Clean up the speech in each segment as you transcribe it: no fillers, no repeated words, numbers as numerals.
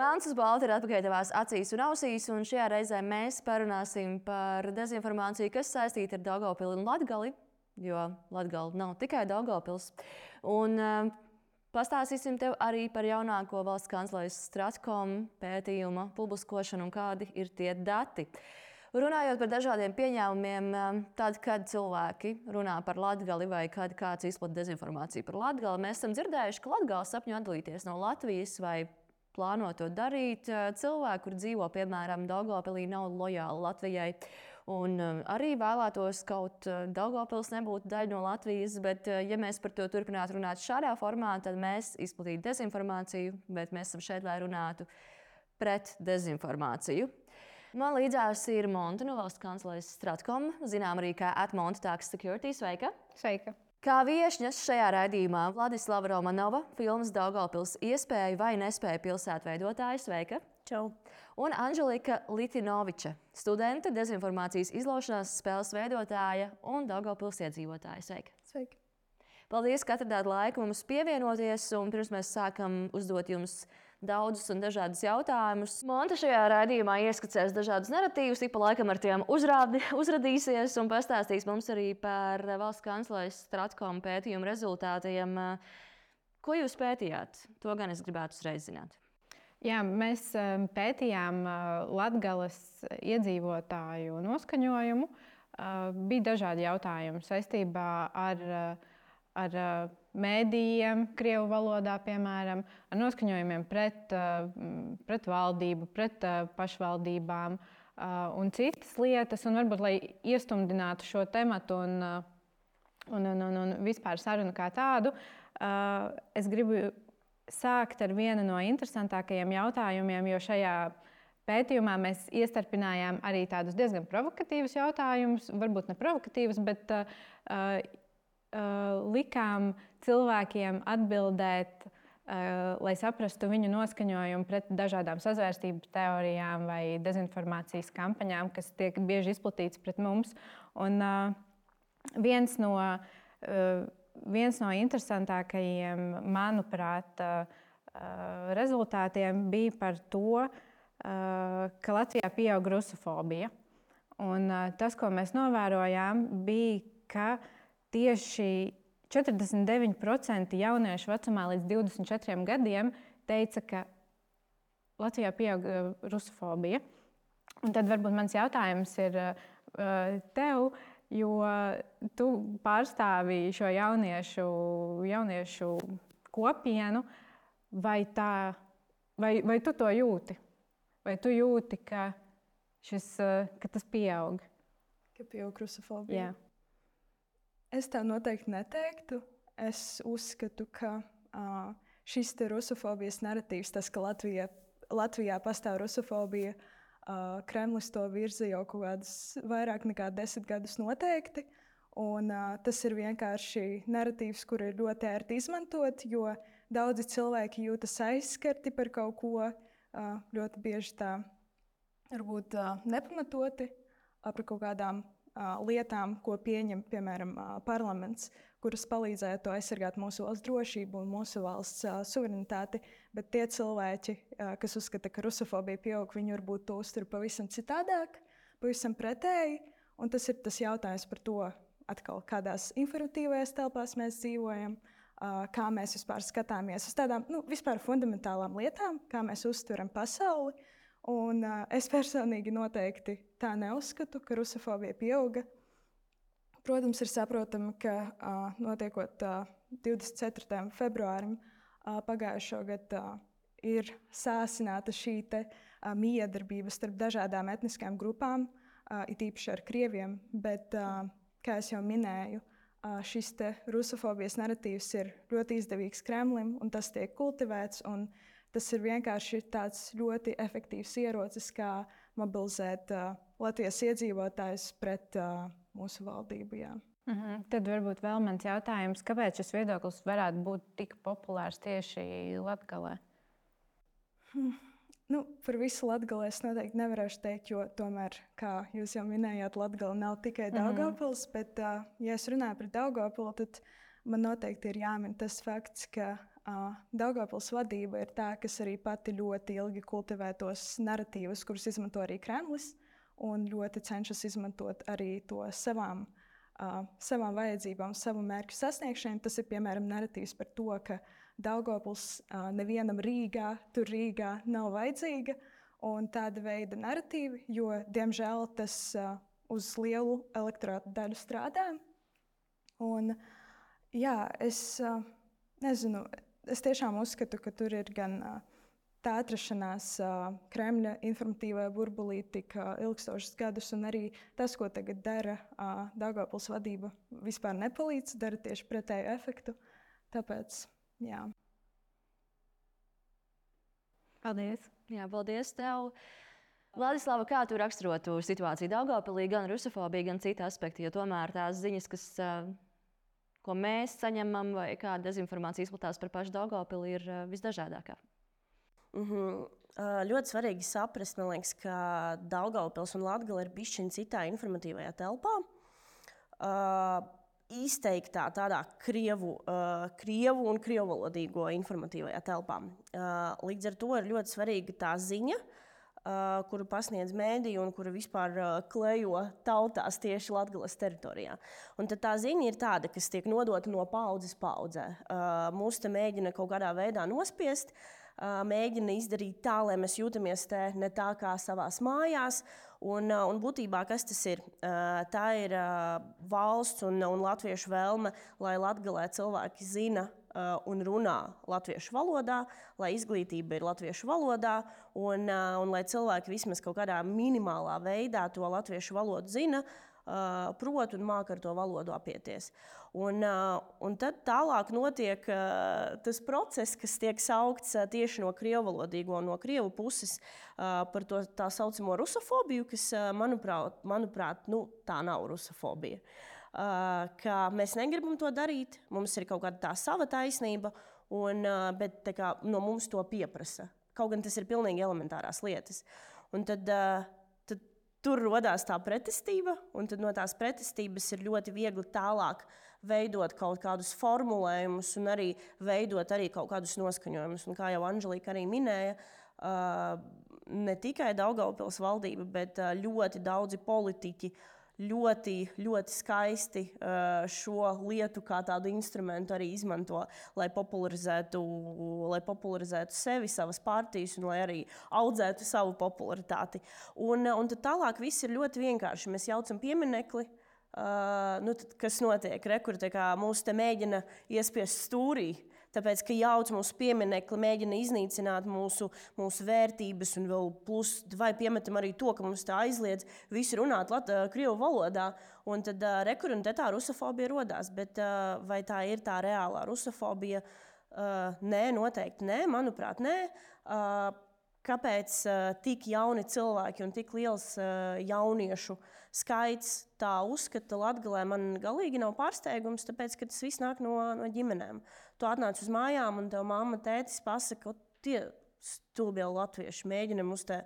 Melns uz balta ir atpakaļ tavās acīs un ausīs, un šajā reizē mēs parunāsim par dezinformāciju, kas saistīta ar Daugavpili un Latgali, jo Latgala nav tikai Daugavpils. Un pastāstīsim tev arī par jaunāko valsts kanclejas Stratkom pētījuma publiskošanu un kādi ir tie dati. Runājot par dažādiem pieņēmumiem, tad, kad cilvēki runā par Latgali vai kad kāds izplata dezinformāciju par Latgali, mēs esam dzirdējuši, ka Latgala sapņo atdalīties no Latvijas vai plāno to darīt. Cilvēki, kur dzīvo, piemēram, Daugavpilī, nav lojāli Latvijai un arī vēlētos kaut Daugavpils nebūtu daļa no Latvijas, bet ja mēs par to turpinātu runāt šādā formā, tad mēs izplatītu dezinformāciju, bet mēs esam šeit, lai runātu pret dezinformāciju. Man līdzās ir Monta no valsts kanclejas Stratkom, zinām arī kā @MontaTax Security. Sveika! Sveika! Kā viešņas šajā raidījumā Vladislava Romanova, filmas Daugavpils iespēju vai nespēju pilsētveidotāja. Sveika! Čau! Un Anželika Litinoviča, studente, dezinformācijas izlaušanās spēles veidotāja un Daugavpils iedzīvotāja. Sveika! Sveika! Paldies, ka atradāt laiku mums pievienoties, un pirms mēs sākam uzdot jums daudzus un dažādus jautājumus. Monta šajā raidījumā ieskicēs dažādus naratīvus, ik pa laikam ar tiem uzradīsies un pastāstīs mums arī par valsts kanclejas Stratkom pētījumu rezultātiem. Ko jūs pētījāt? To gan es gribētu uzreiz zināt. Jā, mēs pētījām Latgales iedzīvotāju noskaņojumu. Bija dažādi jautājumi saistībā ar mēdījiem, krievu valodā, piemēram, ar noskaņojumiem pret valdību, pret pašvaldībām un citas lietas. Un varbūt, lai iestumdinātu šo tematu un vispār sarunu kā tādu, es gribu sākt ar vienu no interesantākajiem jautājumiem, jo šajā pētījumā mēs iestarpinājām arī tādus diezgan provokatīvus jautājumus, varbūt ne provokatīvus, bet likām cilvēkiem atbildēt, lai saprastu viņu noskaņojumu pret dažādām sazvērstības teorijām vai dezinformācijas kampaņām, kas tiek bieži izplatītas pret mums. Un viens no interesantākajiem, manuprāt, rezultātiem bija par to, ka Latvijā pieaug rusofobija. Un tas, ko mēs novērojām, bija, ka tieši 49% jauniešu vecumā līdz 24 gadiem teica, ka Latvijā pieaug rusofobija. Un tad varbūt mans jautājums ir tev, jo tu pārstāvi šo jauniešu kopienu, vai tu to jūti? Vai tu jūti, ka tas pieaug? Ka pieaug rusofobija? Jā. Es tā noteikti neteiktu. Es uzskatu, ka šis rusofobijas naratīvs, tas, ka Latvijā pastāv rusofobija, Kremlis to virza jau kaut kādus vairāk nekā 10 gadus noteikti. Un, tas ir vienkārši naratīvs, kur ir ļoti ērti izmantot, jo daudzi cilvēki jūtas aizskarti par kaut ko, ļoti bieži tā varbūt nepamatoti par kaut kādām lietām, ko pieņem, piemēram, parlaments, kuras palīdzētu aizsargāt mūsu valsts drošību un mūsu valsts suverenitāti. Bet tie cilvēki, kas uzskata, ka rusofobija pieaug, viņi varbūt to uztver pavisam citādāk, pavisam pretēji. Un tas ir tas jautājums par to, atkal, kādās informatīvajās telpās mēs dzīvojam, kā mēs vispār skatāmies uz tādām vispār fundamentālām lietām, kā mēs uztveram pasauli. Un, es personīgi noteikti tā neuzskatu, ka rusofobija pieauga. Protams, ir saprotami, ka notiekot 24. februārim pagājušo gadu ir sāsināta šī miedarbība starp dažādām etniskām grupām, it īpaši ar krieviem, bet, kā es jau minēju, šis rusofobijas naratīvs ir ļoti izdevīgs Kremlim, un tas tiek kultivēts. Tas ir vienkārši tāds ļoti efektīvs ierocis, kā mobilizēt Latvijas iedzīvotājus pret mūsu valdību. Jā. Tad varbūt vēl mans jautājums, kāpēc šis viedoklis varētu būt tik populārs tieši Latgalē? Par visu Latgali es noteikti nevarēšu teikt, jo tomēr, kā jūs jau minējāt, Latgala nav tikai Daugavpils, bet, ja es runāju par Daugavpilu, tad man noteikti ir jāmin tas fakts, ka Daugavpils vadība ir tā, kas arī pati ļoti ilgi kultivē tos narratīvus, kurus izmanto arī Kremlis, un ļoti cenšas izmantot arī to savām vajadzībām, savu mērķu sasniegšanai. Tas ir piemēram narratīvs par to, ka Daugavpils nevienam Rīgā nav vajadzīga, un tāda veida narratīvi, jo, diemžēl, tas uz lielu elektorātu daļu strādā. Un, jā, es nezinu, es tiešām uzskatu, ka tur ir gan tā atrašanās Kremļa informatīvajā burbulī tik ilgstošus gadus, un arī tas, ko tagad dara Daugavpils vadība, vispār nepalīdz, dara tieši pretēju efektu. Tāpēc, jā. Paldies! Jā, paldies tev! Vladislava, kā tu raksturotu situāciju Daugavpilī, gan rusofobija, gan citi aspekti, jo tomēr tās ziņas, ko mēs saņemam, vai kāda dezinformācija izplatās par pašu Daugavpili, ir visdažādākā? Ļoti svarīgi saprast, man liekas, ka Daugavpils un Latgale ir bišķiņ citā informatīvajā telpā. Izteiktā tādā krievu un krievvalodīgo informatīvajā telpā. Līdz ar to ir ļoti svarīga tā ziņa, kuru pasniedz mēdī un kuru vispār klejo tautās tieši Latgales teritorijā. Un tad tā ziņa ir tāda, kas tiek nodota no paudzes paudzē. Mūs te mēģina kaut kādā veidā nospiest, mēģina izdarīt tā, lai mēs jūtamies te ne tā kā savās mājās. Un būtībā, kas tas ir? Tā ir valsts un latviešu vēlme, lai Latgalē cilvēki zina un runā latviešu valodā, lai izglītība ir latviešu valodā, un lai cilvēki vismaz kaut kādā minimālā veidā to latviešu valodu zina, prot un māk ar to valodu apieties. Un tad tālāk notiek tas process, kas tiek saukts tieši no krievvalodīgo un no krievu puses par to tā saucamo rusofobiju, kas, manuprāt, tā nav rusofobija. Ka mēs negribam to darīt, mums ir kaut kāda tā sava taisnība, bet no mums to pieprasa. Kaut gan tas ir pilnīgi elementārās lietas. Un tad tur rodās tā pretestība, un tad no tās pretestības ir ļoti viegli tālāk veidot kaut kādus formulējumus un arī veidot arī kaut kādus noskaņojumus. Un kā jau Anželika arī minēja, ne tikai Daugavpils valdība, bet ļoti daudzi politiķi ļoti, ļoti skaisti šo lietu kā tādu instrumentu arī izmanto, lai popularizētu sevi, savas partijas un lai arī audzētu savu popularitāti. Un tad tālāk viss ir ļoti vienkārši. Mēs jaucam pieminekli, tad kas notiek? Kur mūs te mēģina iespiest stūrī. Tāpēc, ka jauc mūsu pieminekli, mēģina iznīcināt mūsu vērtības un vēl plus vai piemetam arī to, ka mums tā aizliedz visu runāt krievu valodā. Un tad rekur un te tā rusofobija rodās. Bet vai tā ir tā reālā rusofobija? Nē, noteikti nē, manuprāt, nē. Kāpēc tik jauni cilvēki un tik liels jauniešu skaits tā uzskata Latgalē, man galīgi nav pārsteigums, tāpēc, ka tas viss nāk no ģimenēm. Tu atnāc uz mājām un tev mamma, tētis pasaka, tie stulbie latvieši mēģina mums te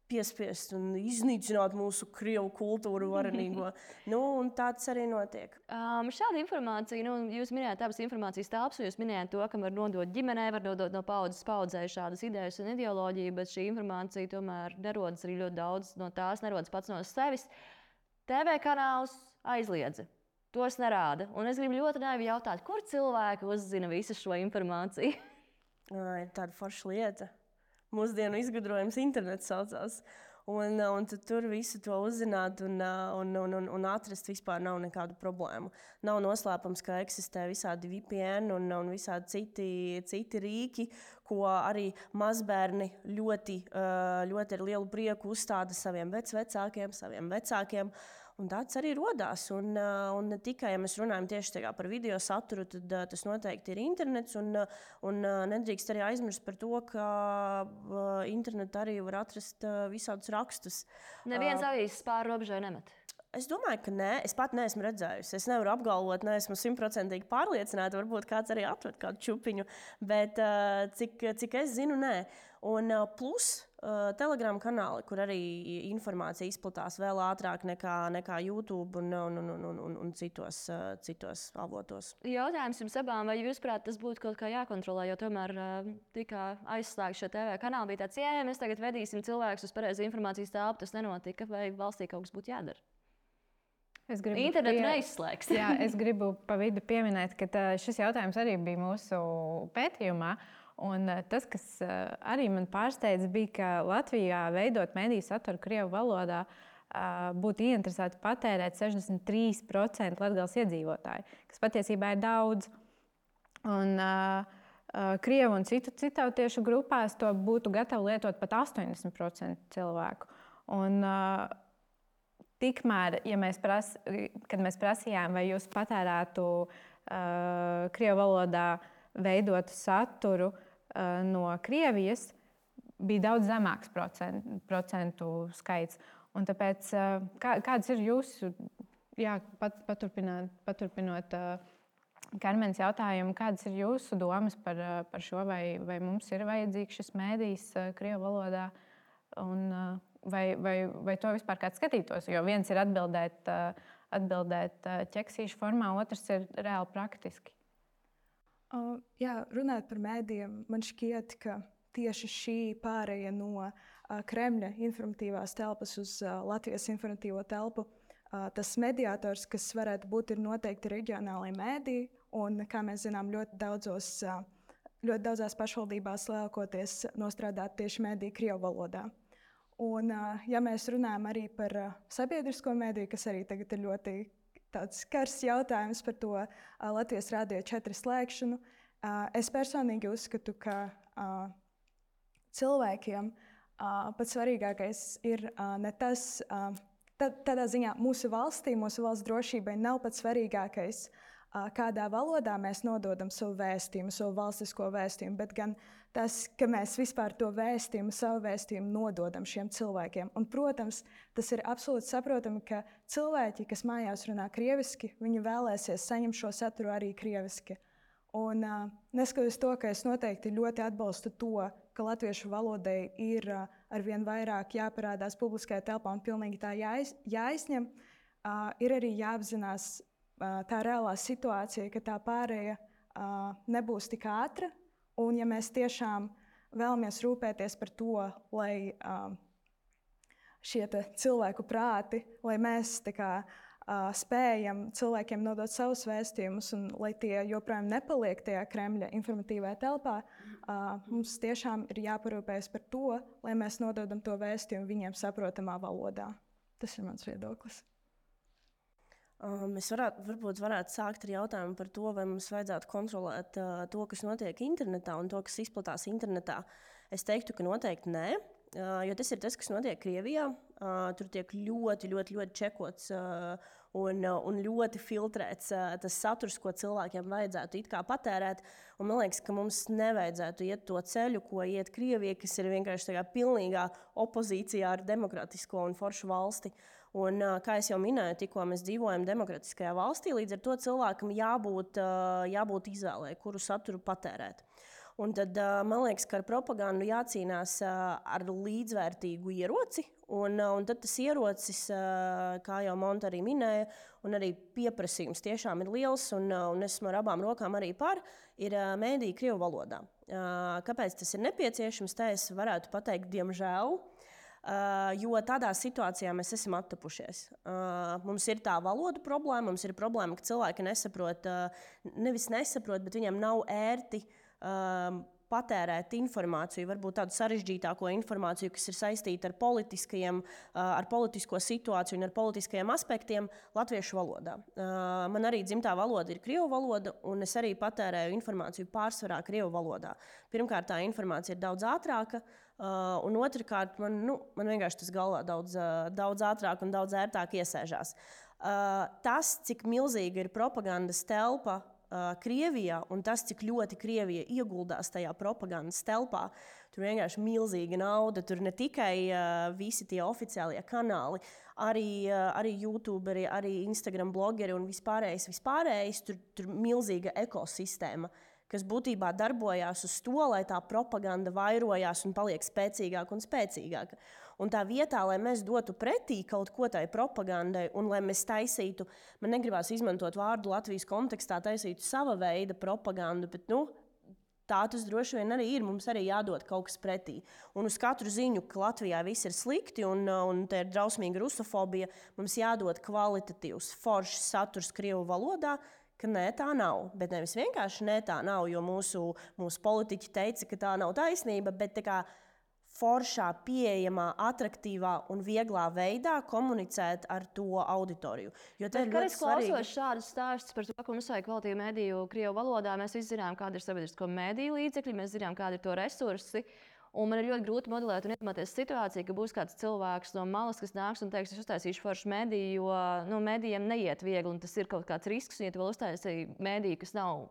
piespiest un iznīcināt mūsu krievu kultūru varenīgo. Un tāds arī notiek. Šāda informācija, jūs minējāt abas informācijas telpas, jūs minējāt to, ka var nodot ģimenei, var nodot no paudzes paudzē šādas idejas un ideoloģiju, bet šī informācija tomēr nerodas arī ļoti daudz no tās, nerodas pats no sevis. TV kanāls aizliedza. Tos nerāda. Un es gribu ļoti naivi jautāt, kur cilvēki uzzina visu šo informāciju? Ir tāda forša lieta. Mūsdienu izgudrojums internets saucās. Un tad tur visu to uzzināt un atrast vispār nav nekādu problēmu. Nav noslēpams, ka eksistē visādi VPN un visādi citi rīki, ko arī mazbērni ļoti ar lielu prieku uzstāda saviem vecākiem. Un tāds arī rodās. Un ne tikai, ja mēs runājam tieši par video saturu, tad tas noteikti ir internets. Un nedrīkst arī aizmirst par to, ka internetā arī var atrast visādus rakstus. Neviens avīzes pāri robežai nemet. Es domāju, ka nē. Es pat neesmu redzējusi. Es nevaru apgalvot, neesmu 100% pārliecināta. Varbūt kāds arī atved kādu čupiņu. Bet cik es zinu, nē. Un plus Telegram kanāli, kur arī informācija izplatās vēl ātrāk nekā YouTube un citos avotos. Jautājums jums abām, vai jūsuprāt, tas būtu kaut kā jākontrolē, jo tomēr tika aizslēgts šo TV kanālu, bija tāds, mēs tagad vedīsim cilvēkus uz pareizu informācijas telpu, tas nenotika, vai valstī kaut kas būtu jādara? Internetu neizslēgs. Jā, es gribu pa vidu pieminēt, ka šis jautājums arī bija mūsu pētījumā. Un tas, kas arī man pārsteidza, bija, ka Latvijā veidot mediju saturu krievu valodā būtu ieinteresēti patērēt 63% Latgales iedzīvotāji, kas patiesībā ir daudz. Un krievu un citu tautiešu grupās to būtu gatavi lietot pat 80% cilvēku. Un tikmēr, kad mēs prasījām, vai jūs patērētu krievu valodā veidotu saturu no Krievijas, bija daudz zemāks procentu skaits. Un tāpēc, kādas ir jūsu, paturpinot Karmenes jautājumu, kādas ir jūsu domas par šo, vai mums ir vajadzīgs šis mēdījis krievu valodā, un vai to vispār kāds skatītos? Jo viens ir atbildēt ķeksīšu formā, otrs ir reāli praktiski. Jā, runājot par mēdījiem, man šķiet, ka tieši šī pāreja no Kremļa informatīvās telpas uz Latvijas informatīvo telpu, tas mediātors, kas varētu būt, ir noteikti reģionālajie mēdīji, un, kā mēs zinām, ļoti daudzās pašvaldībās lielākoties nostrādāt tieši mēdīji krievu valodā. Un, ja mēs runājam arī par sabiedrisko mēdīju, kas arī tagad ir ļoti tāds karsts jautājums par to Latvijas Rādio 4 slēgšanu. Es personīgi uzskatu, ka cilvēkiem pats svarīgākais ir ne tas, tādā ziņā mūsu valsts drošībai nav pats svarīgākais, kādā valodā mēs nododam savu vēstījumu, savu valstisko vēstījumu, bet gan tas, ka mēs vispār to vēstījumu, savu vēstījumu nododam šiem cilvēkiem. Un, protams, tas ir absolūti saprotami, ka cilvēki, kas mājās runā krieviski, viņi vēlēsies saņemt šo saturu arī krieviski. Un neskatoties to, ka es noteikti ļoti atbalstu to, ka latviešu valodai ir arvien vairāk jāparādās publiskajā telpā un pilnīgi tā jāizņem, ir arī jāapzinās tā reālā situācija, ka tā pārēja nebūs tik ātra. Un, ja mēs tiešām vēlamies rūpēties par to, lai šie cilvēku prāti, lai mēs spējam cilvēkiem nodot savus vēstījumus un lai tie joprojām nepaliek tajā Kremļa informatīvajā telpā, mums tiešām ir jāparūpējas par to, lai mēs nododam to vēstījumu viņiem saprotamā valodā. Tas ir mans viedoklis. Mēs varbūt varētu sākt ar jautājumu par to, vai mums vajadzētu kontrolēt to, kas notiek internetā un to, kas izplatās internetā. Es teiktu, ka noteikti nē, jo tas ir tas, kas notiek Krievijā. Tur tiek ļoti čekots un ļoti filtrēts tas saturs, ko cilvēkiem vajadzētu it kā patērēt. Un man liekas, ka mums nevajadzētu iet to ceļu, ko iet Krievija, kas ir vienkārši pilnīgā opozīcijā ar demokratisko un foršu valsti. Un, kā jau minēju, tikko mēs dzīvojam demokratiskajā valstī, līdz ar to cilvēkam jābūt izvēlei, kuru saturu patērēt. Un tad man liekas, ka ar propagandu jācīnās ar līdzvērtīgu ieroci. Un tad tas ierocis, kā jau Monta arī minēja, un arī pieprasījums tiešām ir liels, un esmu ar abām rokām arī par, ir mēdīji krievu valodā. Kāpēc tas ir nepieciešams? Tā es varētu pateikt, diemžēl. Jo tādā situācijā mēs esam attapušies. Mums ir tā valodu problēma, mums ir problēma, ka cilvēki nevis nesaprot, bet viņiem nav ērti patērēt informāciju, varbūt tādu sarežģītāko informāciju, kas ir saistīta ar politisko situāciju un ar politiskajiem aspektiem latviešu valodā. Man arī dzimtā valoda ir krievu valoda, un es arī patērēju informāciju pārsvarā krievu valodā. Pirmkārt, tā informācija ir daudz ātrāka, un otrkārt, man vienkārši tas galvā daudz ātrāk un daudz ērtāk iesēžās. Tas, cik milzīga ir propagandas telpa Krievijā, un tas, cik ļoti Krievija ieguldās tajā propagandas telpā, tur vienkārši milzīga nauda. Tur ne tikai visi tie oficiālie kanāli, arī YouTuberi, arī Instagram blogeri un vispārējais. Tur milzīga ekosistēma, kas būtībā darbojās uz to, lai tā propaganda vairojās un paliek spēcīgāka un spēcīgāka. Un tā vietā, lai mēs dotu pretī kaut ko tai propagandai un lai mēs taisītu, man negribās izmantot vārdu Latvijas kontekstā, taisītu sava veida propagandu, bet tā tas droši vien arī ir. Mums arī jādod kaut kas pretī. Un uz katru ziņu, ka Latvijā viss ir slikti un te ir drausmīga rusofobija, mums jādod kvalitatīvs, foršs saturs krievu valodā, ka nē, tā nav. Bet nevis vienkārši nē, tā nav, jo mūsu politiķi teica, ka tā nav taisnība, bet tā kā foršā, pieejamā, atraktīvā un vieglā veidā komunicēt ar to auditoriju. Jo tas ir ļoti svarīgi. Klausot šādus stāstus par to, ka mums vajag kvalitīvu mediju krievu valodā, mēs visi zinām, kāda ir sabiedrisko mediju līdzekļi, mēs zinām, kāda ir to resursi. Un man ir ļoti grūti modelēt un iedomāties situāciju, ka būs kāds cilvēks no malas, kas nāks un teiks, es uztaisīšu foršu mediju, jo medijiem neiet viegli, un tas ir kaut kāds risks. Un, ja tu vēl uztaisīji mediju, kas nav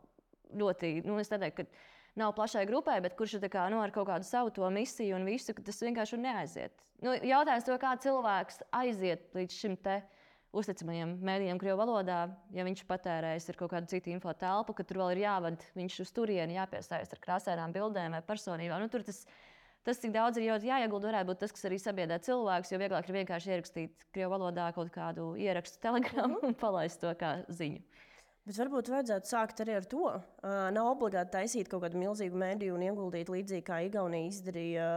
ļoti, es neteiktu, ka nav plašai grupai, bet kurš ir ar kaut kādu savu to misiju un visu, tas vienkārši neaiziet. Jautājums to, kā cilvēks aiziet līdz šim te uzticamajiem mēdījiem krievu valodā, ja viņš patērējis ir kaut kādu citu info telpu, ka tur vēl ir jāvada viņš uz turieni, jāpiesaist ar krāsainām bildēm vai personībām. Tur tas, cik daudz ir jāiegulda, varētu būt tas, kas arī sabiedrē cilvēkus, jo vieglāk ir vienkārši ierakstīt krievu valodā kaut kādu ierakstu telegrammu un palaist to kā ziņu. Bet varbūt vajadzētu sākt arī ar to. Nav obligāti taisīt kaut kādu milzīgu mediju un ieguldīt līdzīgi, kā Igaunija izdarīja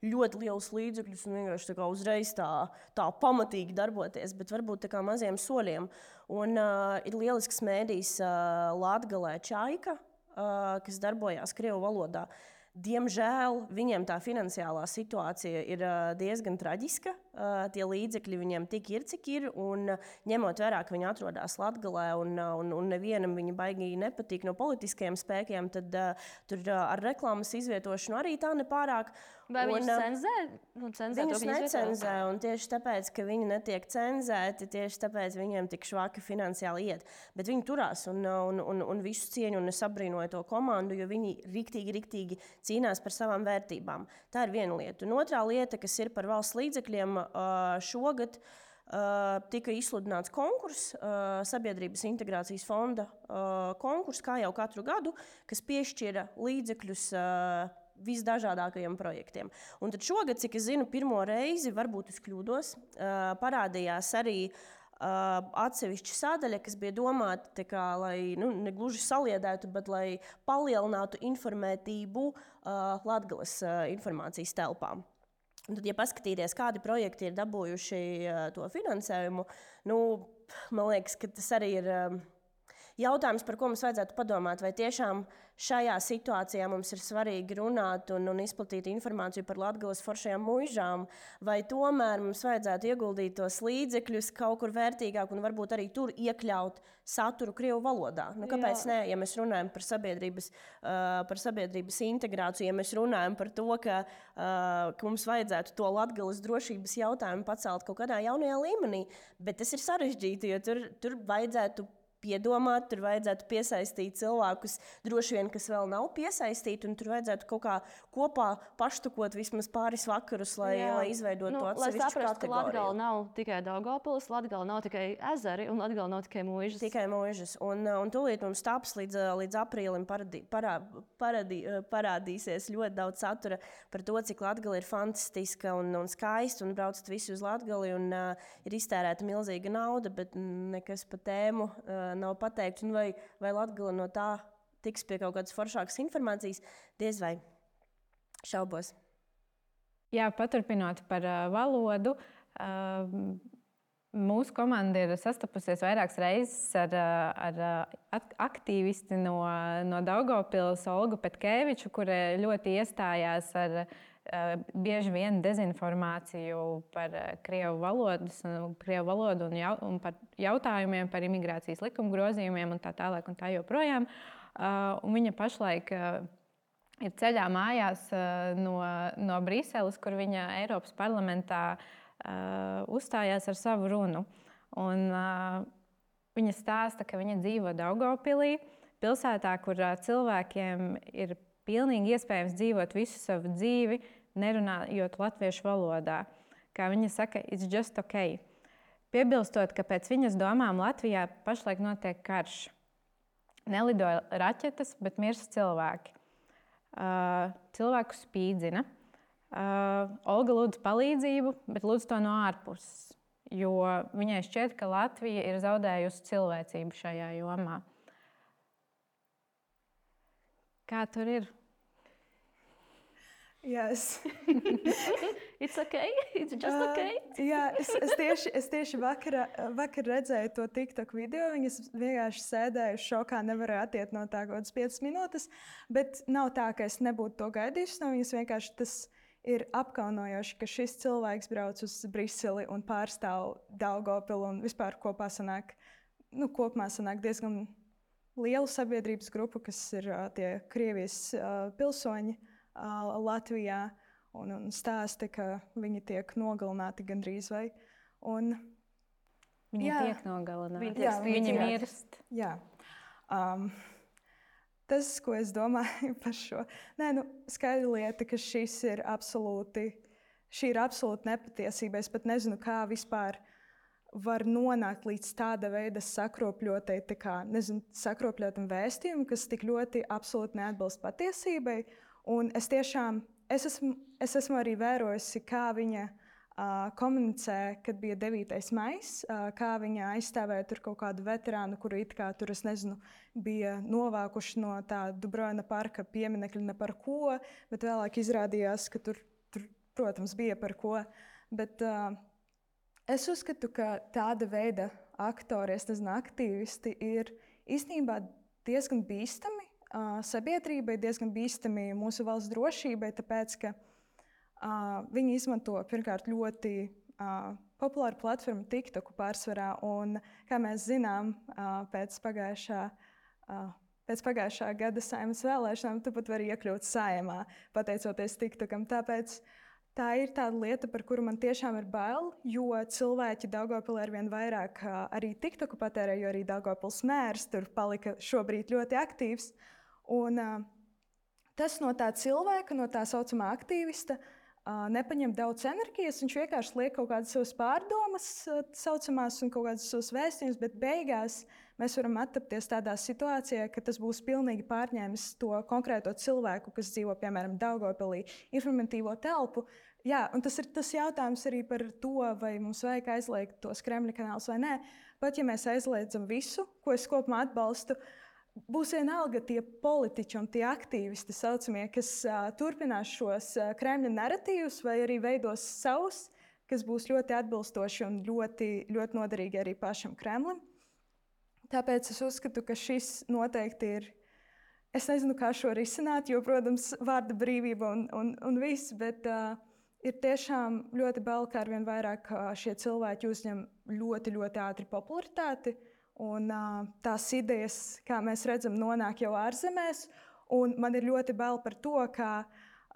ļoti lielus līdzekļus un vienkārši uzreiz tā pamatīgi darboties, bet varbūt tā kā maziem soļiem. Un ir lielisks medijs Latgalē Čaika, kas darbojās krievu valodā. Diemžēl viņiem tā finansiālā situācija ir diezgan traģiska. Tie līdzekļi viņiem tik ir, cik ir. Un ņemot vērā, ka viņi atrodas Latgalē un nevienam viņi baigi nepatīk no politiskajiem spēkiem, tad tur ar reklāmas izvietošanu arī tā nepārāk. Vai viņus cenzē? Viņus necenzē, un tieši tāpēc, ka viņi netiek cenzēti, tieši tāpēc viņiem tik švaki finansiāli iet. Bet viņi turās un visu cieņu, un es abrīnoju to komandu, jo viņi riktīgi cīnās par savām vērtībām. Tā ir viena lieta. Un otrā lieta, kas ir par valsts līdzekļiem, šogad tika izsludināts konkurss, Sabiedrības integrācijas fonda konkurss, kā jau katru gadu, kas piešķira līdzekļus visdažādākajiem projektiem. Un tad šogad, cik es zinu, pirmo reizi, varbūt es kļūdos, parādījās arī atsevišķa sadaļa, kas bija domāta, lai negluži saliedētu, bet lai palielinātu informētību Latgales informācijas telpām. Un tad, ja paskatīties, kādi projekti ir dabūjuši to finansējumu, man liekas, ka tas arī ir jautājums, par ko mums vajadzētu padomāt, vai tiešām šajā situācijā mums ir svarīgi runāt un izplatīt informāciju par Latgales foršajām muižām, vai tomēr mums vajadzētu ieguldīt tos līdzekļus kaut kur vērtīgāk un varbūt arī tur iekļaut saturu krievu valodā. Kāpēc ne? Ja mēs runājam par sabiedrības integrāciju, ja mēs runājam par to, ka mums vajadzētu to Latgales drošības jautājumu pacelt kaut kādā jaunajā līmenī, bet tas ir sarežģīti, jo tur vajadzētu piedomāt, tur vajadzētu piesaistīt cilvēkus, droši vien, kas vēl nav piesaistīti, un tur vajadzētu kaut kā kopā paštukot vismaz pāris vakarus, lai izveidotu to atsevišķu kategoriju. Lai saprastu, ka Latgale nav tikai Daugavpils, Latgale nav tikai ezeri, un Latgale nav tikai muižas. Tikai muižas. Un tūlīt mums taps līdz aprīlim parādīsies ļoti daudz satura par to, cik Latgale ir fantastiska un skaista, un braucat visi uz Latgali, un ir iztērēta milzīga nauda, bet nekas pa tēmu nav pateikts, un vai Latgale no tā tiks pie kaut kādas foršākas informācijas, diez vai šaubos. Jā, paturpinot par valodu, mūsu komanda ir sastapusies vairākas reizes ar aktīvisti no Daugavpils, Olgu Petkeviču, kura ļoti iestājās ar bieži vien dezinformāciju par krievu valodu un par jautājumiem par imigrācijas likuma grozījumiem un tā tālāk un tā joprojām. Un viņa pašlaik ir ceļā mājās no Briseles, kur viņa Eiropas parlamentā uzstājās ar savu runu. Un viņa stāsta, ka viņa dzīvo Daugavpilī, pilsētā, kur cilvēkiem ir pilnīgi iespējams dzīvot visu savu dzīvi, nerunājot latviešu valodā. Kā viņa saka, it's just okay. Piebilstot, ka pēc viņas domām Latvijā pašlaik notiek karš. Nelidoja raķetes, bet mirst cilvēki. Cilvēku spīdzina. Olga lūdz palīdzību, bet lūdz to no ārpuses, jo viņai šķiet, ka Latvija ir zaudējusi cilvēcību šajā jomā. Kā tur ir? Yes. It's okay, it's just okay. Jā, es tieši vakar redzēju to TikTok video. Viņas vienkārši sēdēju šokā, nevarēju attiekt no tā kaut kādas 5 minūtes. Bet nav tā, ka es nebūtu to gaidījusi no viņas. Vienkārši tas ir apkaunojoši, ka šis cilvēks brauc uz Briseli un pārstāv Daugavpilu un vispār kopumā sanāk diezgan lielu sabiedrības grupu, kas ir tie Krievijas pilsoņi Latvijā, un stāsta, ka viņi tiek nogalināti gandrīz vai. Viņi tiek nogalināti. Viņi mirst. Jā. Tas, ko es domāju par šo, skaidra lieta, ka šī ir absolūti nepatiesība. Es pat nezinu, kā vispār var nonākt līdz tāda veida sakropļotam vēstījumam, kas tik ļoti absolūti neatbilst patiesībai. Un es esmu arī vērojusi, kā viņa komunicē, kad bija 9. maijs, kā viņa aizstāvēja tur kaut kādu veterānu, kuru it kā tur, bija novākuši no tā Dubrovina parka pieminekļa ne par ko, bet vēlāk izrādījās, ka tur protams, bija par ko. Bet es uzskatu, ka tāda veida aktori, aktīvisti ir īstenībā diezgan bīstami. Sabiedrībai diezgan bīstami mūsu valsts drošībai, tāpēc, ka viņi izmanto pirmkārt ļoti populāru platformu TikToku pārsvarā. Un, kā mēs zinām, pēc pagājušā gada Saeimas vēlēšanām, tu pat vari iekļūt Saeimā, pateicoties TikTokam. Tāpēc tā ir tāda lieta, par kuru man tiešām ir bail, jo cilvēki Daugavpilī arvien vairāk arī TikToku patērē, jo arī Daugavpils mērs tur palika šobrīd ļoti aktīvs. Un tas no tā cilvēka, no tā saucamā aktīvista, nepaņem daudz enerģijas. Viņš vienkārši liek kaut kādas savas pārdomas, saucamās, un kaut kādas savas vēstījumus, bet beigās mēs varam attapties tādā situācijā, ka tas būs pilnīgi pārņēmis to konkrēto cilvēku, kas dzīvo, piemēram, Daugavpilī, informatīvo telpu. Jā, un tas ir tas jautājums arī par to, vai mums vajag aizliegt tos Kremļa kanālus vai nē. Pat ja mēs aizliedzam visu, ko es kopumā atbalstu, būs vienalga tie politiķi un tie aktīvisti, saucamie, kas turpinās šos Kremļa naratīvus vai arī veidos savus, kas būs ļoti atbilstoši un ļoti, ļoti noderīgi arī pašam Kremlim. Tāpēc es uzskatu, ka šis noteikti ir. Es nezinu, kā šo risināt, jo, protams, vārda brīvība un viss, bet ir tiešām ļoti bail, ka arvien vairāk šie cilvēki uzņem ļoti, ļoti ātri popularitāti. Un tās idejas, kā mēs redzam, nonāk jau ārzemēs. Un man ir ļoti bail par to, kā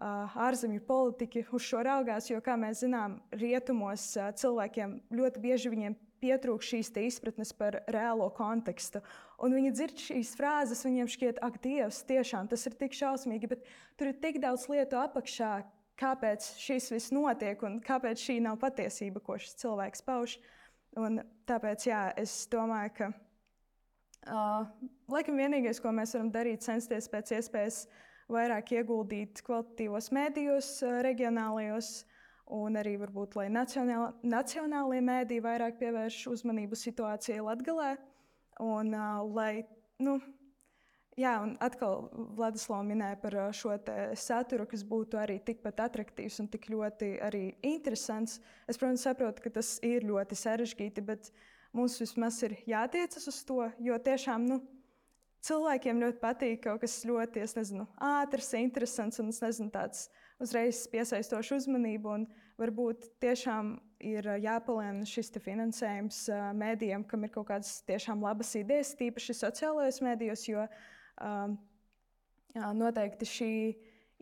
ārzemju politiķi uz šo raugās, jo, kā mēs zinām, rietumos cilvēkiem ļoti bieži viņiem pietrūkst šīs izpratnes par reālo kontekstu. Un viņi dzird šīs frāzes, viņiem šķiet, ak, Dievs, tiešām tas ir tik šausmīgi, bet tur ir tik daudz lietu apakšā, kāpēc šis viss notiek un kāpēc šī nav patiesība, ko šis cilvēks pauž. Un tāpēc, jā, es domāju, ka laikam vienīgais, ko mēs varam darīt, censties pēc iespējas vairāk ieguldīt kvalitatīvos mēdījos, reģionālajos, un arī varbūt, lai nacionālie mēdīji vairāk pievērš uzmanību situācijai Latgalē. Un un atkal Vladislavs minēja par šo saturu, kas būtu arī tikpat attraktīvs un tik ļoti arī interesants. Es, protams, saprotu, ka tas ir ļoti sarežģīti, bet mums vismaz ir jātiecas uz to, jo tiešām cilvēkiem ļoti patīk kaut kas ļoti, ātrs, interesants un tāds uzreiz piesaistošs uzmanību. Un varbūt tiešām ir jāpalielina šis finansējums mēdījiem, kam ir kaut kādas tiešām labas idejas, tīpaši sociālajos mēdījos, jo noteikti šī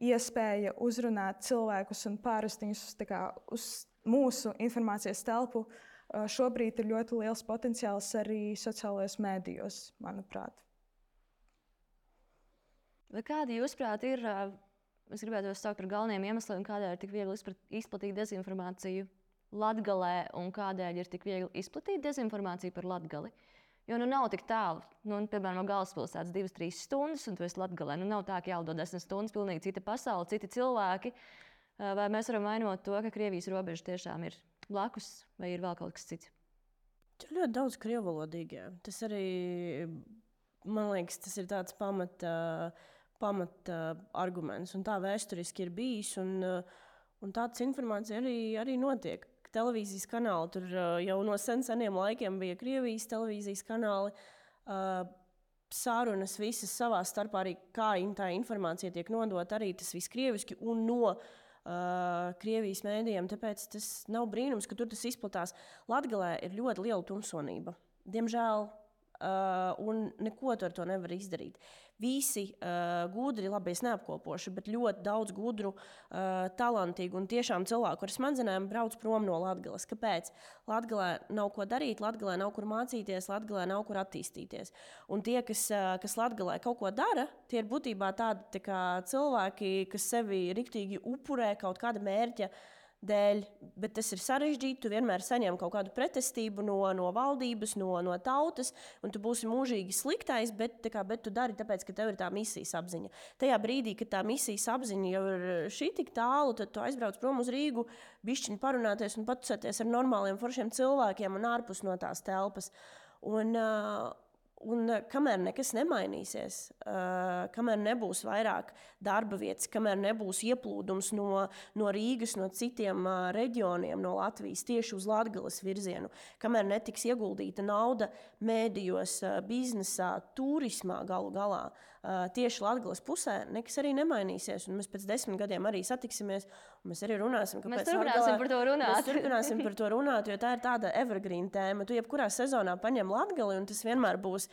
iespēja uzrunāt cilvēkus un pārvest viņus uz mūsu informācijas telpu šobrīd ir ļoti liels potenciāls arī sociālajos mēdījos, manuprāt. Vai kādi, jūsuprāt, ir, es gribētu jūs saukt par galvenajiem iemesliem, kādēļ ir tik viegli izplatīt dezinformāciju Latgalē un kādēļ ir tik viegli izplatīt dezinformāciju par Latgali? Jo nav tik tālu. Piemēram, no galvaspilsētas 2-3 stundas, un tu esi Latgalē. Nav tā, ka jālido 10 stundas, pilnīgi cita pasaule, citi cilvēki. Vai mēs varam vainot to, ka Krievijas robeža tiešām ir blakus, vai ir vēl kaut kas cits? Tur ļoti daudz krievalodīgie. Tas arī, man liekas, tas ir tāds pamat arguments. Un tā vēsturiski ir bijis, un tāds informācija arī notiek. Televīzijas kanāli tur jau no seniem laikiem bija Krievijas televīzijas kanāli. Sarunas visas savā starpā arī, kā tā informācija tiek nodota, arī tas viss krieviski un no Krievijas mēdījiem. Tāpēc tas nav brīnums, ka tur tas izplatās. Latgalē ir ļoti liela tumsonība. Diemžēl, un neko ar to nevar izdarīt. Visi gudri, labi, es neapkopošu, bet ļoti daudz gudru, talantīgu un tiešām cilvēku ar smadzenēm brauc prom no Latgales. Kāpēc? Latgalē nav ko darīt, Latgalē nav kur mācīties, Latgalē nav kur attīstīties. Un tie, kas Latgalē kaut ko dara, tie ir būtībā tādi tā kā cilvēki, kas sevi riktīgi upurē kaut kāda mērķa dēļ, bet tas ir sarežģīti. Tu vienmēr saņem kaut kādu pretestību no valdības, no tautas, un tu būsi mūžīgi sliktais, bet tu dari tāpēc, ka tev ir tā misijas apziņa. Tajā brīdī, kad tā misijas apziņa jau ir šī tik tālu, tad tu aizbrauc prom uz Rīgu, bišķiņ parunāties un patusēties ar normāliem foršiem cilvēkiem un ārpus no tās telpas. Un kamēr nekas nemainīsies, kamēr nebūs vairāk darba vietas, kamēr nebūs ieplūdums no Rīgas, no citiem reģioniem, no Latvijas tieši uz Latgales virzienu, kamēr netiks ieguldīta nauda mēdījos, biznesā, turismā galu galā, tieši Latgales pusē, nekas arī nemainīsies. Un mēs pēc 10 gadiem arī satiksimies, un mēs arī runāsim, Mēs turpināsim par to runāt. Mēs turpināsim par to runāt, jo tā ir tāda evergreen tēma. Tu jebkurā sezonā paņem Latgali, un tas vienmēr būs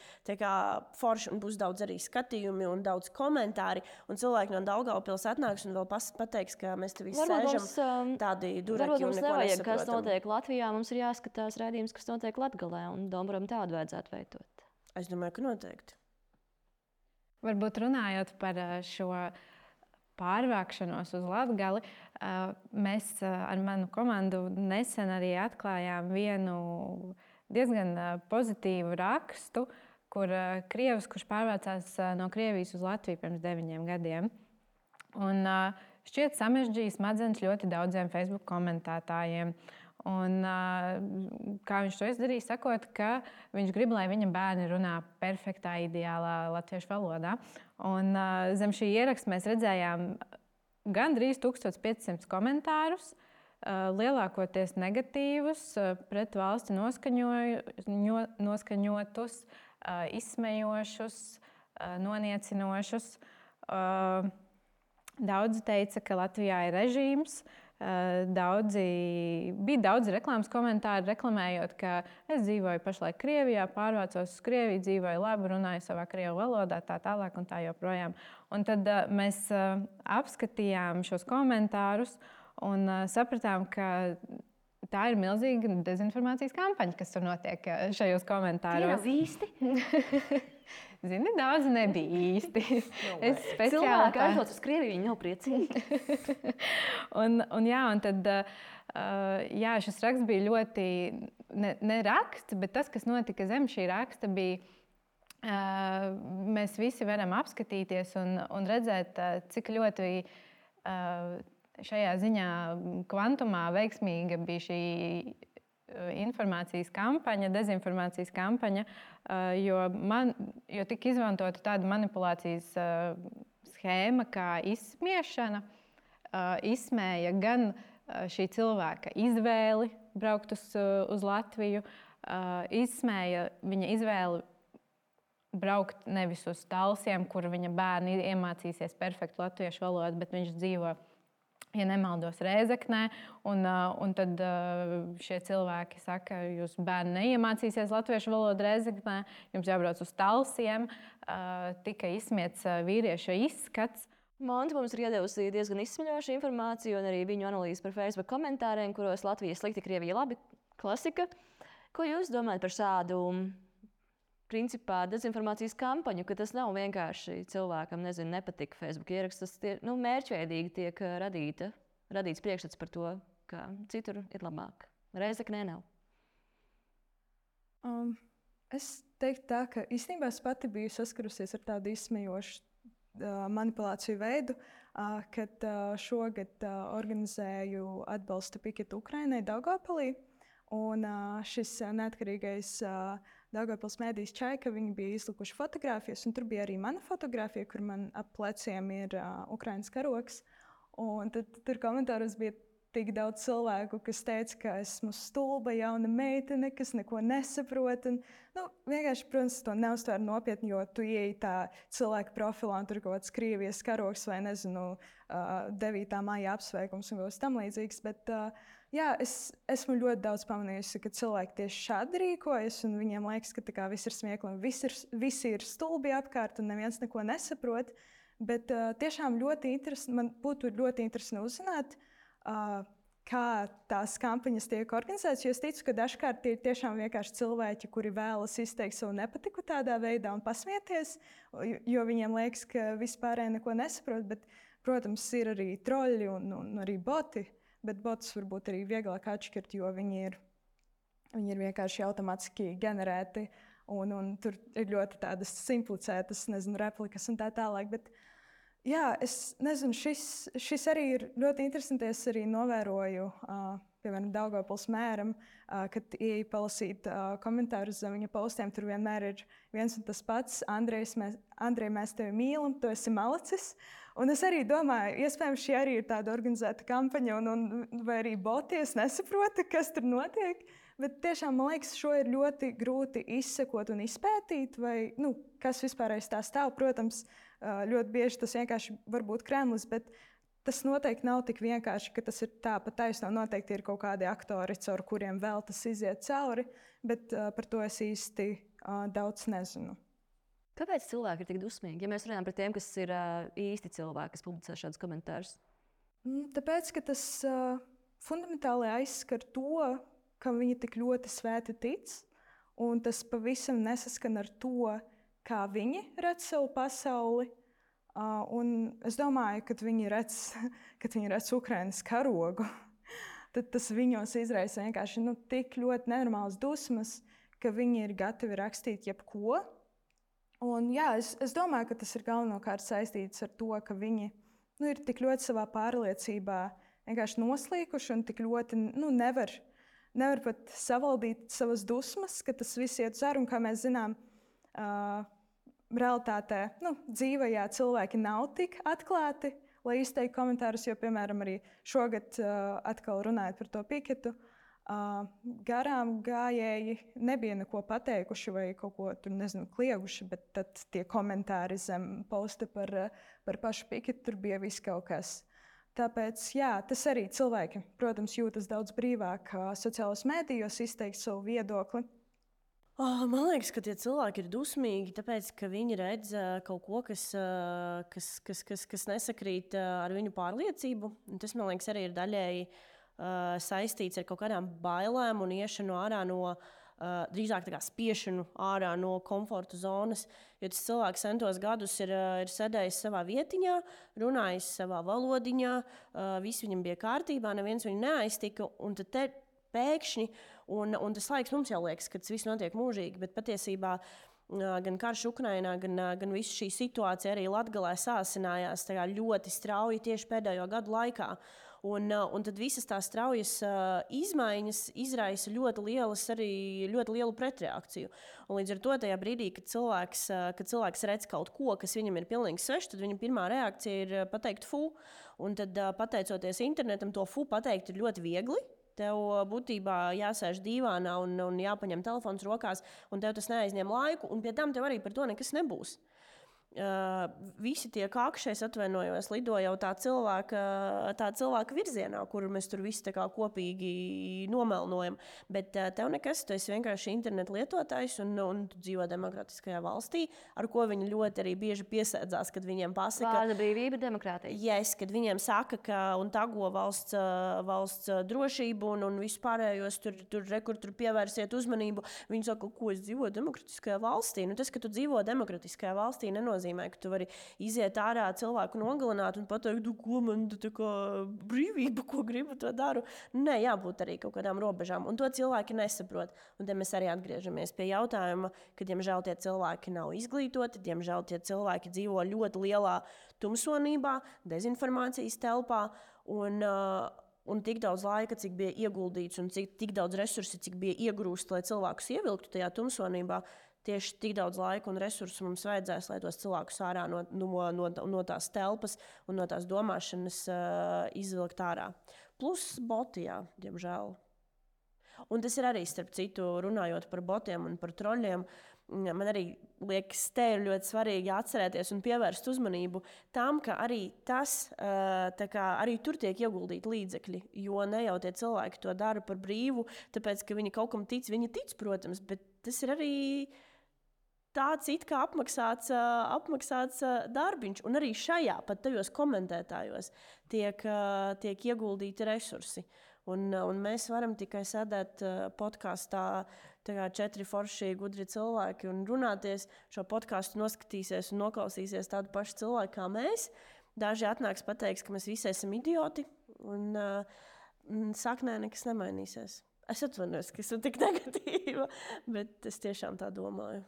forši, un būs daudz arī skatījumi un daudz komentāri, un cilvēki no Daugavpils atnāks un vēl pateiks, ka mēs te visi sēžam tādi duraki un neko nevajag, nesaprotam. kas notiek Latvijā, mums ir jāskatās raidījums, kas notiek Latgalē, un Domburam tādu vajadzētu veidot. Es domāju, ka noteikti. Varbūt runājot par šo pārvākšanos uz Latgali, mēs ar manu komandu nesen arī atklājām vienu diezgan pozitīvu rakstu, kur krievs, kurš pārvācās no Krievijas uz Latviju pirms 9 gadiem. Un šķiet samežģīja smadzenes ļoti daudziem Facebook komentētājiem. Un, kā viņš to izdarīja, sakot, ka viņš grib, lai viņa bērni runā perfektā, ideālā latviešu valodā. Un zem šī ieraksta mēs redzējām gandrīz 1500 komentārus, lielākoties negatīvus, pret valsti noskaņotus, izsmejošus, noniecinošus. Daudzi teica, ka Latvijā ir režīms. Bija daudz reklāmas komentāru, reklamējot, ka es dzīvoju pašlaik Krievijā, pārvācos uz Krieviju, dzīvoju labi, runāju savā krievu valodā, tā tālāk un tā joprojām. Un tad mēs apskatījām šos komentārus un sapratām, ka tā ir milzīga dezinformācijas kampaņa, kas tur notiek šajos komentāros. Tie nav īsti? Zini, daudz nebija īsti. Cilvēki aizbrauc uz Krieviju, viņi nav priecīgi. un tad šis raksts bija ļoti, ne raksts, bet tas, kas notika zem šī raksta, bija, mēs visi varam apskatīties un redzēt, cik ļoti šajā ziņā kvantumā veiksmīga bija šī informācijas kampaņa, dezinformācijas kampaņa, jo tika izmantota tāda manipulācijas schēma kā izsmiešana, izsmēja gan šī cilvēka izvēli braukt uz Latviju, izsmēja viņa izvēli braukt nevis uz Talsiem, kur viņa bērni iemācīsies perfektu latviešu valodu, bet viņš dzīvo, ja nemaldos, Rēzeknē, un tad šie cilvēki saka, jūs bērni neiemācīsies latviešu valodu Rēzeknē, jums jābrauc uz Talsiem, tika izsmiets vīrieša izskats. Monta mums ir iedevusi diezgan izsmeļošu informāciju un arī viņu analīzi par Facebook komentāriem, kuros Latvija slikti, Krievija labi, klasika. Ko jūs domājat par šādu principā dezinformācijas kampaņu, ka tas nav vienkārši cilvēkam, nepatika Facebook ieraksts, tas mērķveidīgi tiek radīts priekšstats par to, ka citur ir labāk. Rēzeknē nav. Es teiktu tā, ka īstenībā es pati biju saskarusies ar tādu izsmejošu manipulāciju veidu, kad šogad organizēju atbalsta piketu Ukrainai Daugavpilī. Un šis neatkarīgais Daugavpils mēdījis Čaika, viņi bija izlikuši fotogrāfijas, un tur bija arī mana fotogrāfija, kur man ap pleciem ir Ukrainas karogs. Un tad tur komentāros bija tik daudz cilvēku, kas teica, ka esmu stulba jauna meitene, kas neko nesaprot. Un, vienkārši, protams, to neuztver nopietni, jo tu ieej tā cilvēka profilā un tur kaut kāds Krievijas karogs vai, nezinu, 9. maija apsveikums un kaut kas tam līdzīgs. Bet, jā, es esmu ļoti daudz pamanījusi, ka cilvēki tieši šādi rīkojas, un viņiem liekas, ka viss ir smieklīgi, un visi ir stulbi apkārt, un neviens neko nesaprot. Bet tiešām man būtu ļoti interesanti uzzināt, kā tās kampaņas tiek organizētas. Jo es ticu, ka dažkārt tie ir tiešām vienkārši cilvēki, kuri vēlas izteikt savu nepatiku tādā veidā un pasmieties, jo viņiem liekas, ka vispārēji neko nesaprot. Bet, protams, ir arī troļļi un arī boti, bet botus varbūt arī vieglāk atšķirt, jo viņi ir vienkārši automātiski generēti. Un tur ir ļoti tādas simplicētas, replikas un tā tālāk. Bet, jā, es nezinu, šis arī ir ļoti interesants. Es arī novēroju, piemēram, Daugavpils mēram, kad ieeju palasīt komentārus zem viņa postiem. Tur vienmēr ir viens un tas pats. Andrej, mēs tevi mīlam, tu esi malacis. Un es arī domāju, iespējams, šī arī ir tāda organizēta kampaņa, vai arī boties nesaprota, kas tur notiek. Bet tiešām man liekas, šo ir ļoti grūti izsekot un izpētīt, vai kas vispār aiz tā stāv. Protams, ļoti bieži tas vienkārši var būt Kremlis, bet tas noteikti nav tik vienkārši, ka tas ir tā pa taisno. Noteikti ir kaut kādi aktori, caur kuriem vēl tas iziet cauri, bet par to es īsti daudz nezinu. Kāpēc cilvēki ir tik dusmīgi? Ja mēs runājam par tiem, kas ir īsti cilvēki, kas publicē šādus komentārus. Tāpēc, ka tas fundamentāli aizskar to, kam viņi tik ļoti svēti tic, un tas pavisam nesaskan ar to, kā viņi redz savu pasauli. Un es domāju, kad viņi redz Ukrainas karogu, tad tas viņos izraisa vienkārši tik ļoti nenormāls dusmas, ka viņi ir gatavi rakstīt jebko. Un, jā, es domāju, ka tas ir galvenokārt saistīts ar to, ka viņi ir tik ļoti savā pārliecībā vienkārši noslīkuši un tik ļoti nevar pat savaldīt savas dusmas, ka tas viss iet uz ārā. Un, kā mēs zinām, realitātē, dzīvajā cilvēki nav tik atklāti, lai izteiktu komentārus. Jo, piemēram, arī šogad, atkal runājot par to piketu, garām gājēji nebija neko pateikuši vai kaut ko tur, klieguši, bet tad tie komentāri zem posta par pašu piketu, tur bija viss kaut kas. Tāpēc, jā, tas arī cilvēki, protams, jūtas daudz brīvāk sociālos mēdījos izteikt savu viedokli. Man liekas, ka tie cilvēki ir dusmīgi, tāpēc, ka viņi redz kaut ko, kas nesakrīt ar viņu pārliecību. Un tas, man liekas, arī ir daļēji saistīts ar kaut kādām bailēm un iešanu ārā no, drīzāk tā kā spiešanu ārā no komforta zonas. Jo tas cilvēks centos gadus ir sēdējis savā vietiņā, runājis savā valodiņā, viss viņam bija kārtībā, neviens viņu neaiztika. Un tad pēkšņi, un tas laiks mums jau liekas, ka tas viss notiek mūžīgi, bet patiesībā gan karš Ukrainā, gan visa šī situācija arī Latgalē sāsinājās ļoti strauji tieši pēdējo gadu laikā. Un tad visas tās straujas izmaiņas izraisa ļoti lielu pretreakciju. Un līdz ar to tajā brīdī, kad cilvēks redz kaut ko, kas viņam ir pilnīgi svešs, tad viņa pirmā reakcija ir pateikt fu. Un tad, pateicoties internetam, to fu pateikt ir ļoti viegli. Tev būtībā jāsēž dīvānā un jāpaņem telefons rokās, un tev tas neaizņem laiku, un pie tam tev arī par to nekas nebūs. Visi tie kakši, es atvainojos, lido jau tā cilvēka virzienā, kuru mēs tur visi kopīgi nomelnojam. Bet tev nekas, tu esi vienkārši internetu lietotājs un tu dzīvo demokratiskajā valstī, ar ko viņi ļoti arī bieži piesēdzās, kad viņiem pasaka... Vārda brīvība, demokrātija. Yes, kad viņiem saka, ka un tago valsts drošību un vispārējos tur pievērsiet uzmanību. Viņi saka, ko es dzīvoju demokratiskajā valstī. Tas, ka tu dzīvo demokratiskajā valstī, nenozīmē, nenozīmē, ka tu vari iziet ārā cilvēku nogalināt un pateikt, ko man tā kā brīvība, ko gribu, to daru. Nē, jābūt arī kaut kādām robežām. Un to cilvēki nesaprot. Un te mēs arī atgriežamies pie jautājuma, ka, diemžēl, tie cilvēki nav izglītoti, diemžēl, tie cilvēki dzīvo ļoti lielā tumsonībā, dezinformācijas telpā un tik daudz laika, cik bija ieguldīts un tik daudz resursi, cik bija iegrūst, lai cilvēkus ievilktu tajā tumsonībā, tieši tik daudz laika un resursu mums vajadzēs, lai tos cilvēkus ārā no tās telpas un no tās domāšanas izvilkt ārā. Plus boti, jā, diemžēl. Un tas ir arī, starp citu, runājot par botiem un par troļļiem, man arī liekas, te ir ļoti svarīgi atcerēties un pievērst uzmanību tam, ka arī arī tur tiek ieguldīti līdzekļi, jo ne jau tie cilvēki to dara par brīvu, tāpēc, ka viņi kaut kam tic, viņi tic, protams, bet tas ir arī tāds it kā apmaksāts darbiņš, un arī šajā, pat tajos komentētājos, tiek ieguldīti resursi. Un mēs varam tikai sēdēt podkastā, 4 forši gudri cilvēki un runāties. Šo podkastu noskatīsies un noklausīsies tādu pašu cilvēku kā mēs. Daži atnāks pateiks, ka mēs visi esam idioti, un saknē nekas nemainīsies. Es atvainojos, ka esmu tik negatīva, bet es tiešām tā domāju.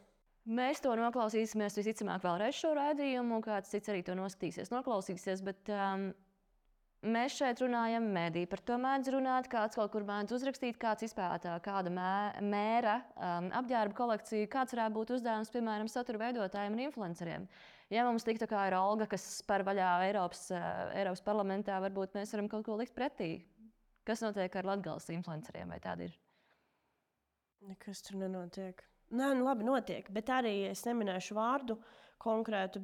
Mēs to noklausīsimies visticamāk vēlreiz šo raidījumu, kāds cits arī to noskatīsies, noklausīsies, bet mēs šeit runājam mediju. Par to mēdz runāt, kāds kaut kur mēdz uzrakstīt, kāds izpētā kāda mēra apģērba kolekcija, kāds varētu būt uzdevums, piemēram, satura veidotājiem un influenceriem. Ja mums tik tā kā ir Olga, kas spēr vaļā Eiropas parlamentā, varbūt mēs varam kaut ko likt pretī. Kas notiek ar Latgales influenceriem, vai tāda ir? Nekas tur nenotiek. Nē, labi, notiek, bet arī es neminēšu vārdu konkrētu,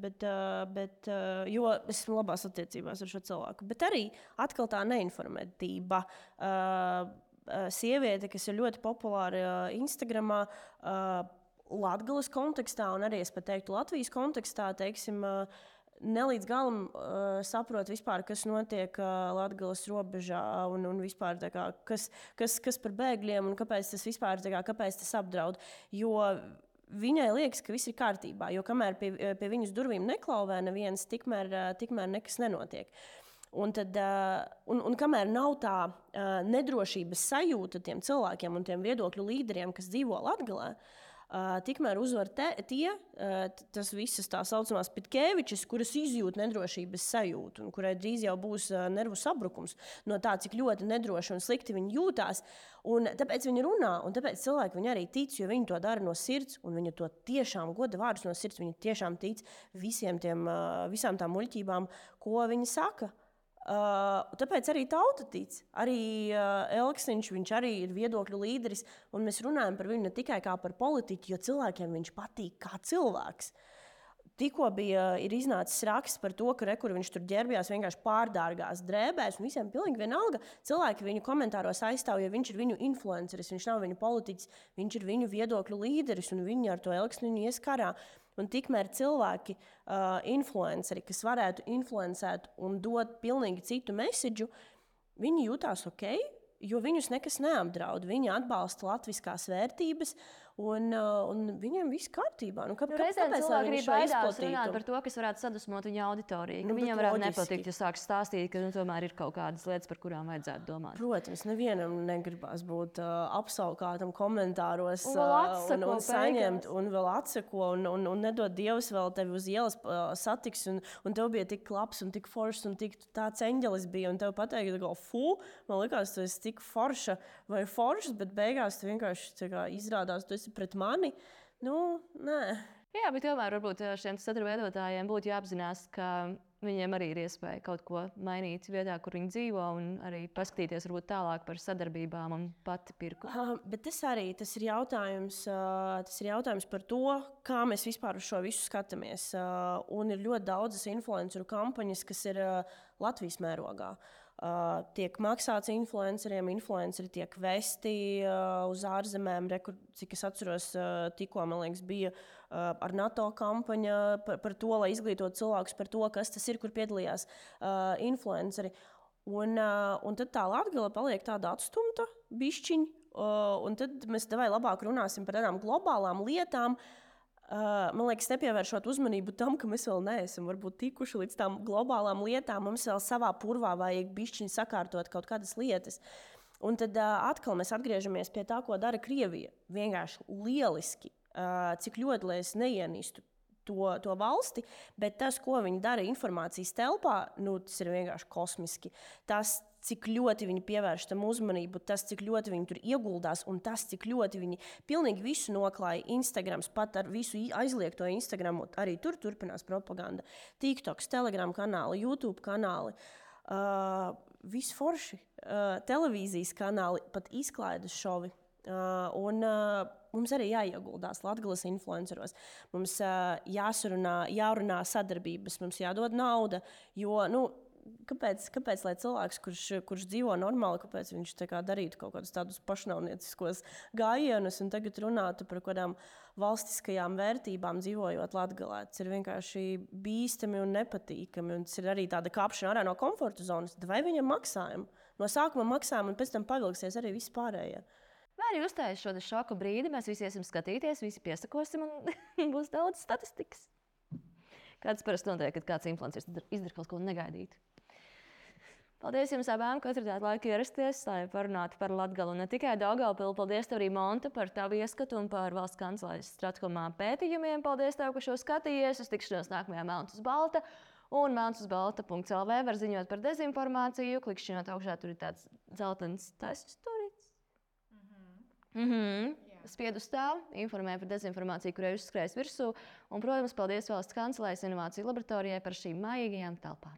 jo es esmu labās attiecībās ar šo cilvēku. Bet arī atkal tā neinformētība. Sieviete, kas ir ļoti populāra Instagramā, Latgales kontekstā un arī, es pat teiktu, Latvijas kontekstā, teiksim, nelīdz galam saprot vispār, kas notiek Latgales robežā un vispār kas par bēgļiem un kāpēc tas vispār, kāpēc tas apdraud. Jo viņai liekas, ka viss ir kārtībā, jo kamēr pie viņas durvīm neklauvē neviens, tikmēr nekas nenotiek. Un kamēr nav tā nedrošības sajūta tiem cilvēkiem un tiem viedokļu līderiem, kas dzīvo Latgalē, tikmēr uzvar tas visas tā saucamās Pitkevičas, kuras izjūt nedrošības sajūtu un kurai drīz jau būs nervu sabrukums no tā, cik ļoti nedroši un slikti viņi jūtās. Un tāpēc viņi runā, un tāpēc cilvēki viņi arī tic, jo viņi to dara no sirds, un viņi to tiešām goda vārdus no sirds, viņi tiešām tic visām tām muļķībām, ko viņi saka. Tāpēc arī tauta tic. Arī Elksiņš, viņš arī ir viedokļu līderis, un mēs runājam par viņu ne tikai kā par politiķu, jo cilvēkiem viņš patīk kā cilvēks. Tikko ir iznācis raksts par to, ka kur viņš tur ģērbjās vienkārši pārdārgās drēbēs, un visiem pilnīgi vienalga. Cilvēki viņu komentāros aizstāv, jo viņš ir viņu influenceris, viņš nav viņu politiķis, viņš ir viņu viedokļu līderis, un viņi ar to Elksiņu ies karā. Un tikmēr cilvēki, influenceri, kas varētu influencēt un dot pilnīgi citu mesidžu, viņi jutās ok, jo viņus nekas neapdraud. Viņi atbalsta latviskās vērtības, un viņiem viss kārtībā. Reizēm cilvēki arī baidās runāt par to, kas varētu sadusmot viņa auditoriju. Viņiem varētu nepatikt, ja sāks stāstīt, ka tomēr ir kaut kādas lietas, par kurām vajadzētu domāt. Protams, nevienam negribas būt apsaukātam komentāros un saņemt, un vēl atseko, un nedod Dievs vēl tevi uz ielas satiks, un tev bija tik labs un tik foršs, un tik tāds eņģelis bija, un tev pateikt, man likās, tu esi tik forša vai foršs, bet beigās tu vienkārši izrādās, tu esi pret mani. Nē. Jā, bet tomēr varbūt šiem satura veidotājiem būtu jāapzinās, ka viņiem arī ir iespēja kaut ko mainīt vietā, kur viņi dzīvo, un arī paskatīties varbūt tālāk par sadarbībām un pati pirku. Bet tas ir jautājums par to, kā mēs vispār uz šo visu skatāmies. Un ir ļoti daudzas influenceru kampaņas, kas ir Latvijas mērogā. Tiek maksāts influenceriem, influenceri tiek vesti uz ārzemēm. Cik es atceros, tikko, man liekas, bija ar NATO kampaņa par to, lai izglītotu cilvēkus par to, kas tas ir, kur piedalījās influenceri. Un tad tā Latgale paliek tāda atstumta bišķiņa, un tad mēs labāk runāsim par tādām globālām lietām, man liekas, nepievēršot uzmanību tam, ka mēs vēl neesam varbūt tikuši līdz tām globālām lietām. Mums vēl savā purvā vajag bišķiņi sakārtot kaut kādas lietas. Un tad atkal mēs atgriežamies pie tā, ko dara Krievija. Vienkārši lieliski, cik ļoti lai es neienīstu to valsti, bet tas, ko viņi dara informācijas telpā, tas ir vienkārši kosmiski. Tas, cik ļoti viņi pievērš tam uzmanību, tas, cik ļoti viņi tur ieguldās, un tas, cik ļoti viņi pilnīgi visu noklāja. Instagrams, pat ar visu aizliegto Instagramu, arī tur turpinās propaganda. TikToks, Telegram kanāli, YouTube kanāli, viss forši, televīzijas kanāli, pat izklaides šovi. Mums arī jāieguldās Latgales influenceros. Mums jārunā sadarbības, mums jādod nauda. Jo, kāpēc lai cilvēks, kurš dzīvo normāli, kāpēc viņš darītu kaut kādus tādus pašnāvnieciskos gājienus un tagad runātu par kādām valstiskajām vērtībām dzīvojot Latgalē? Tas ir vienkārši bīstami un nepatīkami. Un tas ir arī tāda kāpšana ārā no komforta zonas. Vai viņam maksājam? No sākuma maksājam un pēc tam pavilksies arī viss pārējie. Vai arī uzstājas šo šoku brīdi, mēs visi iesim skatīties, visi piesakosim un būs daudz statistikas. Kāds parasti notiek, kad kāds influenceris izdara kaut ko negaidītu. Paldies jums abām, ka atradāt laiku ierasties, lai parunātu par Latgali un ne tikai Daugavpili. Paldies tev arī, Monta, par tavu ieskatu un par Valsts kancelēs Stratkomā pētījumiem. Paldies tev, ka šo skatījies. Uz tikšanos nākamajā Melns uz Balta. Un melnsuzbalta.lv var ziņot par dezinformāciju. Klikšķinot augšā, tur ir tāds dzeltens taisnums turīts. Spied uz tā, informē par dezinformāciju, kurai uzskrējas virsū. Un, protams, paldies Valsts kancelēs Inovāciju laboratorijai par šīm mājīgajām telpām.